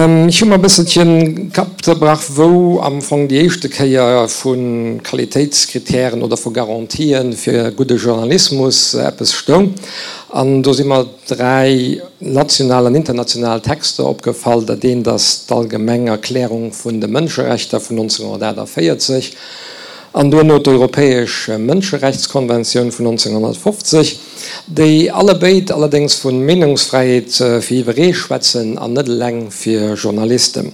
Ech hu mer e bësselchen Kapp zerbrach, wou am Fong déi éischte Kéier vu Qualitéitskritären oder vu Garantien fir gudde Journalismus eppes stoung. An do si mer 3 national an international Texter opgefall. Dat eent ass d'Allgemeng Erklärung vun de Mënscherechter vun 1948 an duerno d'Europäesch Mënscherechtskonventioun vun 1950. Déi allebéid allerdéngs vu Meenungsfräiheet fir jiwweree schwätzen an net eleng fir Journalisten.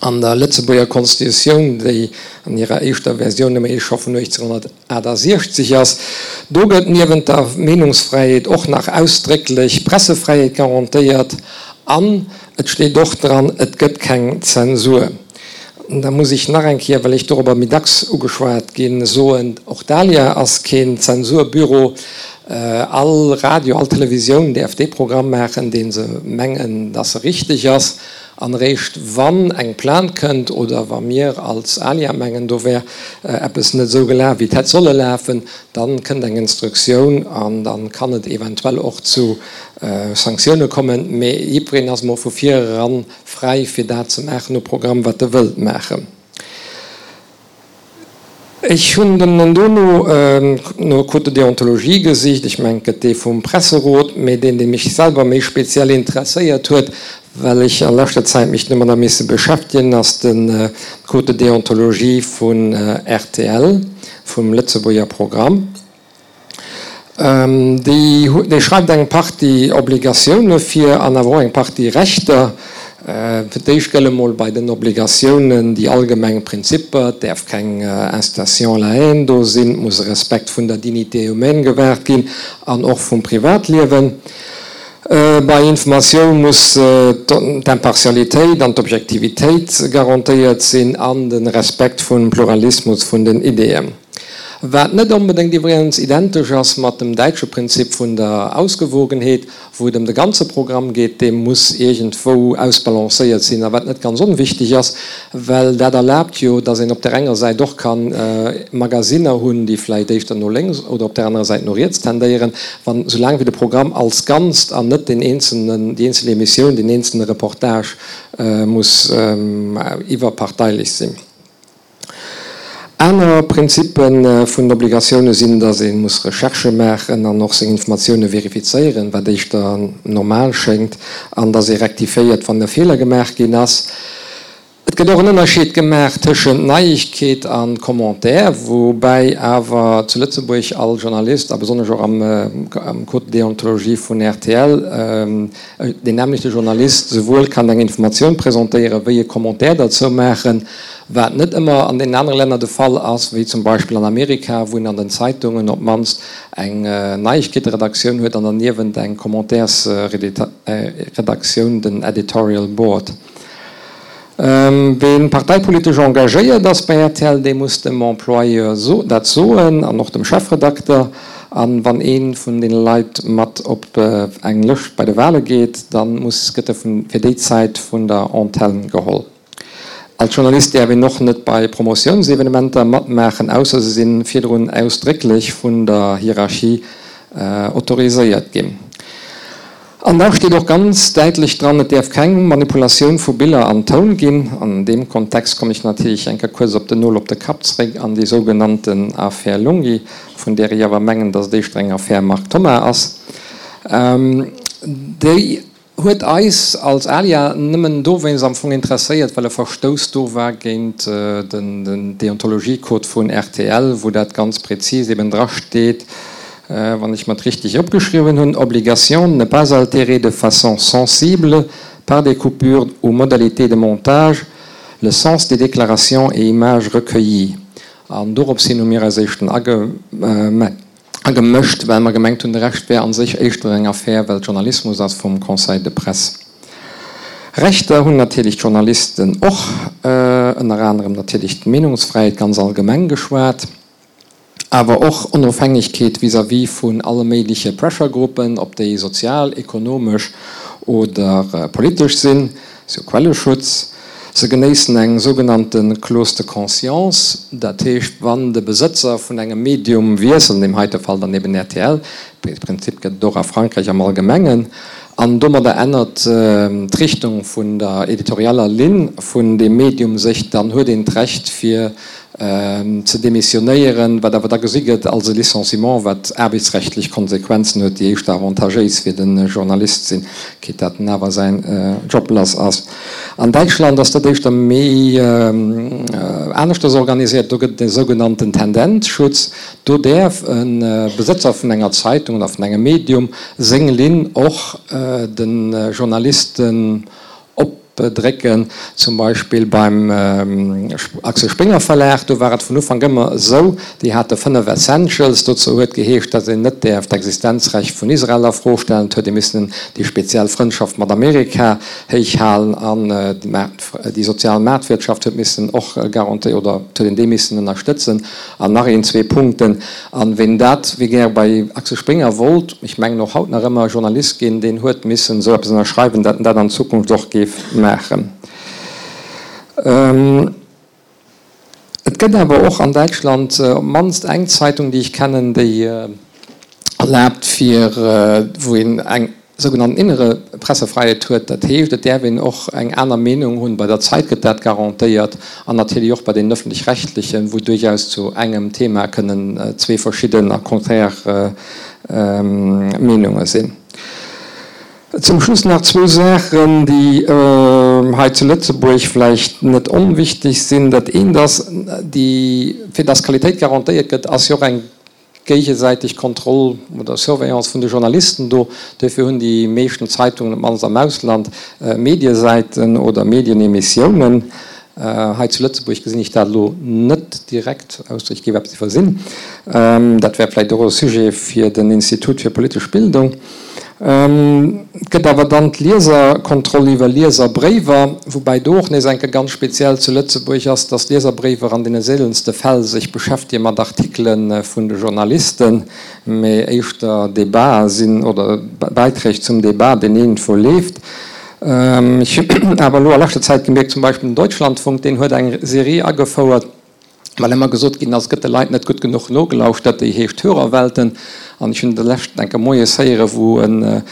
An der Lëtzebuerger Constitutioun, déi an hirer éischter Versioun nëmme ee scho vun 1868 ass, do gëtt niewent der Meenungsfräiheet och nach ausdrécklech Pressefräiheet garantéiert an et steet och dran, et gëtt keng Zensur. Da muss ech nach eng Kéier, well ech dorobber méi dacks ugeschwat ginn, soen, Och d'ALIA ass keen Zensurbüro. All Radio, all Televisioun däerf dee Programm maachen, dee se mengen, dass e richteg ass. An eréischt wann eng Plainte kënnt oder wa mir als ALIA mengen, do wär eppes net esou gelaf, wéi et hätt solle lafen, da kënnt eng Instruktioun an da kann et eventuell och zu Sanktioune kommen. Mee jiddwereen ass emol vu vireran Fräi fir dat ze maachen u Programm wat e wëllt maachen. Ech hunn dann dono no Code de déontologie gesicht. Ech mengen et gëtt dee vum Presserot, mee deen dee mech selwer méi speziell interesséiert huet, well ech a leschter Zäit mech domadder misse beschäftegen, ass de Code de déontologie vun rtl, vum Lëtzebuerger Programm. Déi schreift eng Partie Obligatioune vir an awer och eng Partie Rechter. Fir d'éischt gëlle mol bei den Obligatiounen déi allgemeng Prinzipper, et däerf keng Incitation à la haine do sinn, et muss e Respekt vun der Dignité humaine gewaart ginn an och vum Privatliewen. Bei Informatioun muss d'Impartialitéit an d'Objektivitéit garantéiert sinn an de Respekt vum Pluralismus vun den Ideeën. Wat net onbedéngt iwwregens identesch ass mat dem däitsche Prinzip vun der Ausgewogenheet, wou et ëm de ganze Programm geet, dee muss iergendwou ausbalancéiert sinn, a wat net ganz onwichtig ass, well dat erlaabt jo, datt een op där enger Säit och ka Magasinner hunn, déi vläicht éischter no lénks oder op där anerer Säit no riets tendéieren, wann, soulaang wéi de Programm als Ganzt an net deen eenzelnen, déi eenzel Emissioun, deen eenzelne Reportage muss iwwerparteilech sinn. Aner Prinzippe vun den Obligatioune sinn, datt ee muss Recherchë maachen an och seng Informatioune verifizéieren, wat éischter normal schéngt, an datt ee rektifiéiert, wann e Feeler gemaach ginn ass. Et gëtt och en Ënnerscheed gemaach tëschent Neiegkeet a Commentaire, woubäi awer zu Lëtzebuerg all Journalist, a besonnesch och am Code de déontologie vun rtl, deen nämmlechte Journalist souwuel kann eng Informatioun presentéieren, wéi e Commentaire derzou maachen, wat net ëmmer an deenen anere Länner de Fall ass, wéi zum Beispill an Amerika, wou een an den Zeitungen op d'mannst eng Neiegkeeteredaktioun huet an derniewent eng Commentairesredaktioun, den Editorial Board. Ween parteipolitesch engagéiert ass bei rtl, dee muss dem Employeur dat soen an och dem Chefredakter. An wann ee vun deene Leit mat op eng Lëscht bei de Wale geet, da muss gëtt e fir déi Zäit vun der Antenne geholl. Als Journalist däerf een och net bei Promotiounsevenementer matmaachen, ausser se si virdrun ausdrécklech vun der Hierarchie autoriséiert ginn. An da steet och ganz däitlech dran, et däerf keng Manipulatioun vu Biller an Toun ginn. An deem Kontext kommen ech natierlech eng Kéier kuerz op den Nol op de Kapp zréck an déi sougenannten Affär Lunghi, vun där ech awer mengen, datt et éischter eng Affär Marc Thoma ass. Déi huet eis als ALIA nëmmen dowéinst am Fong interesséiert, well e Verstouss do war géint den Deontologiecode vun rtl, wou dat ganz prezis eben drasteet, wann ech mer et richteg opgeschriwwen hunn, Obligation de ne pas altérer de façon sensible par des coupures ou modalités de montage le sens des déclarations et images recueillies. An dorops hin hu mir eis éischten agemëscht, well mer gemengt hunn, de Rescht wär a sech éischter eng Affär, well Journalismus ass vum Conseil de presse. Rechter hunn natierlech d'Journalisten och, ënner anerem natierlech d'Meenungsfräiheet ganz allgemeng geschwat. Awer och Onofhängegkeet vis-à-vis vun alle méigleche Pressure-Gruppen, ob déi sozial, ekonomesch oder politesch sinn, sou Quelleschutz. Se genéissen eng sougenannte Clause de conscience, dat heescht, wann de Besëtzer vun engem Medium wiesselt, an deem heite Fall dann eben rtl, dee Prinzip gëtt et och a Frankräich am Allgemengen. An domadder ännert d'Richtung vun der editorieller Linn vun deem Medium sech. Dann huet een d'Recht fir ze demissionéieren, wat awer da gesi gëtt als e Licenciement, wat aarbechtsrechtlech Konsequenzen huet, déi éischter avantagéis fir de Journalist sinn, quitte dat en awer säin Job lass ass. An Däitschland ass dat éischter méi aneschters organiséiert. Do gëtt et e sougenannten Tendenzschutz. Do däerf e Besëtzer vun enger Zeitung oder vun engem Medium seng Linn och de Journalisten opdrécken. Zum Beispill beim Axel Springer Verlag, do war et vun Ufank ëmmer esou, déi hate 5 Essentials. Dozou huet geheescht, datt een net däerf d'Existenzrecht vun Israel a Fro stellen. Et huet ee missen déi speziell Frëndschaft mat Amerika héich halen an déi sozial Maartwirtschaft huet missen och garantéiert oder et huet een déi missen ënnerstëtzen. An nach een, zwee Punkten. An ween dat, wee gär bei Axel Springer wollt, ech mengen och haut nach ëmmer, Journalist ginn, deen huet missen esou eppes ënnerschreiwen, dat en dat an Zukunft och géif maachen. Et gëtt awer och an Däitschland op d'mannst eng Zeitung, déi ech kennen, déi erlaabt fir, wou een eng sougenannten innere Pressefreiheet huet. Dat heescht, et däerf een och eng aner Meenung hunn. Bei der Zeit gëtt dat garantéiert an natierlech och bei den Öffentlich-Rechtlichen, wou duerchaus zu engem Thema kënnen zwee verschidden a konträr Meenunge sinn. Zum Schluss nach zwou Saachen, déi hei zu Lëtzebuerg vläicht net onwichtig sinn. Dat eent ass, déi, fir dass Qualitéit garantéiert gëtt, ass jo och eng géigesäiteg Kontroll oder Surveillance vun de Journalisten do. Duerfir hunn déi meeschten Zeitungen, op d'mannst am Ausland, Mediesäiten oder Medienemissiounen. Hei zu Lëtzebuerg gesinn ech dat elo net direkt, ausser ech géif eppes iwwersinn. Dat wär vläicht och e Sujet fir den Institut fir politesch Bildung. Et gëtt awer dann d'Lieserkontroll iwwer Lieserbréiwer, woubäi do och nees eng Kéier ganz speziell zu Lëtzebuerg ass, dass d'Lieserbréiwer an deene seelenste Fäll sech beschäftege mat Artikele vun de Journalisten, mee éischter Debatë sinn oder Bäiträg zum Debat, deen iergendwou leeft. Ech hunn awer elo a leschter Zäit gemierkt, zum Beispill den Deutschlandfunk, deen huet eng Serie agefouert, well ëmmer gesot ginn ass, et gëtt de Leit net gutt genuch nogelauschtert, déi heescht Hörerwelten. An ech hunn de leschten enke moies héieren, wou e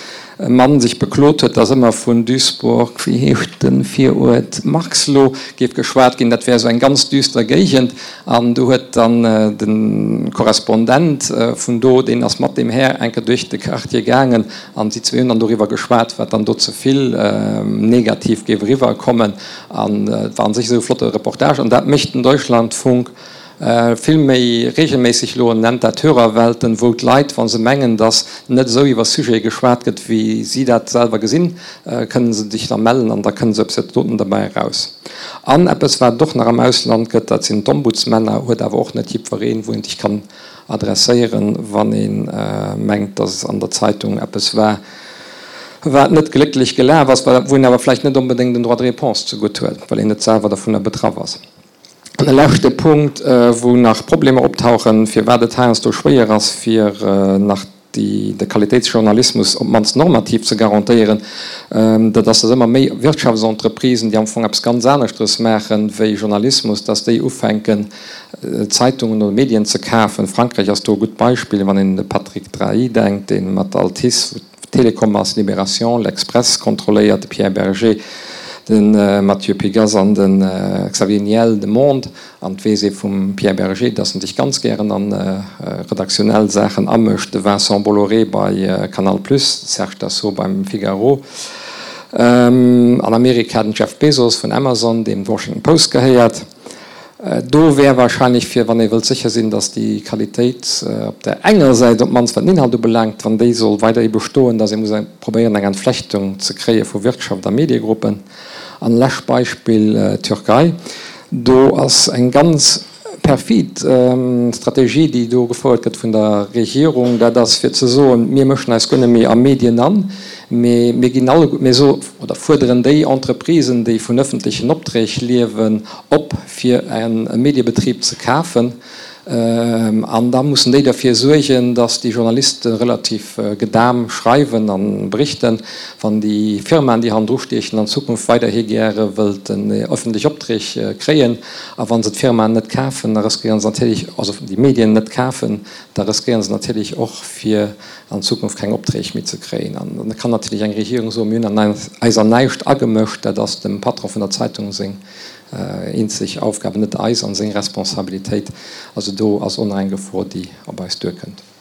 Mann sech beklot huet, datt ëmmer vun Duisburg, wéi heescht de Viruert, Marxloh, géif geschwat ginn, dat wär esou eng ganz düster Géigend. An du huet dann de Korrespondent vun do, deen ass mat deem Här enke duerch de Quartier gaangen, an si zwee hunn dann doriwwer geschwat, wat dann do ze vill negativ géif eriwwerkommen. An et war an sech esou e flotte Reportage. An dat mécht den Deutschlandfunk vill méi regelméisseg elo. En nennt dat Hörerwelten, wou d'Leit, wa se mengen, datt net esou iwwer Sujete geschwat gëtt, wéi si dat selwer gesinn, kënne se sech da mellen an da kënnt esou eppes doten derbäi eraus. An eppes, wat et och nach am Ausland gëtt, dat sinn d'Ombudsmänner, huet awer och net jiddwereen, wou een sech kann adresséieren, wann ee mengt, datt an der Zeitung eppes war, wat net glécklech gelaf ass, wou een awer vläicht net onbedéngt en Droit de réponse zegutt huet, well een net selwer dovunner betraff ass. An e leschte Punkt, wou nach Problemer optauchen, firwat et heiansdo schwéier ass, fir nach de Qualitéitsjournalismus op d'mannst normativ ze garantéieren, dat ass, datt ëmmer méi Wirtschaftsentreprisen, déi am Fong eppes ganz aneschteres maache wéi Journalismus, datt déi ufänken, Zeitungen oder Medien ze kafen. Frankräich ass do e gutt Beispill, wann een un de Patrick Drahi denkt, dee mat Altice, wou d'Telekom ass, Libération, L'Express kontrolléiert, de Pierre Bergé, de Matthieu Pigasse an de Xavier Niel, de Monde. An et weess ee vum Pierre Bergé, datt en sech ganz gären a redaktionell Saachen amëscht, de Vincent Bolloré bei Canal Plus, de Serge Dassault beim Figaro, an Amerika den Jeff Bezos vun Amazon, deem d'Washington Post gehéiert. Do wär wahrscheinlech, fir wann ee wëllt sécher sinn, datt déi Qualitéit op där enger Säit, op d'mannst wat den Inhalt ubelaangt, wann déi soll weiderhi bestoen, datt ee muss probéieren eng Entflechtung ze kréie vu Wirtschaft a Mediegruppen. An lescht Beispill, Türkei. Do ass eng ganz perfid Strategie, déi do gefouert gëtt vun der Regierung, dat ass fir ze soen, mir mëschen eis guer net méi a Medien an, mee mir ginn alleguer, mir so oder fuerderen déi Entreprisen, déi vun öffentlechen Opträg liewen, op fir e Mediebetrib ze kafen. An da mussen déi derfir suergen, datt déi Journaliste relativ gedam schreiwen a berichten. Wann déi Firmaen, déi hannendru stiechen, an Zukunft weiderhi gäre wëllten öffentlech Opträg kréien, a wa se d'Firmaen net kafen, da riskéiere se natierlech, also déi Medien net kafen, da riskéiere se natierlech och, fir an Zukunft keng Opträg méi ze kréien. An da kann natierlech eng Regierung soen, mir hunn an eis an näischt agemëscht, dat ass dem Patron vun der Zeitung seng eenzeg Aufgabe, net eis, an seng Responsabilitéit. Also do ass och nach eng Gefor, déi op eis duerkënnt.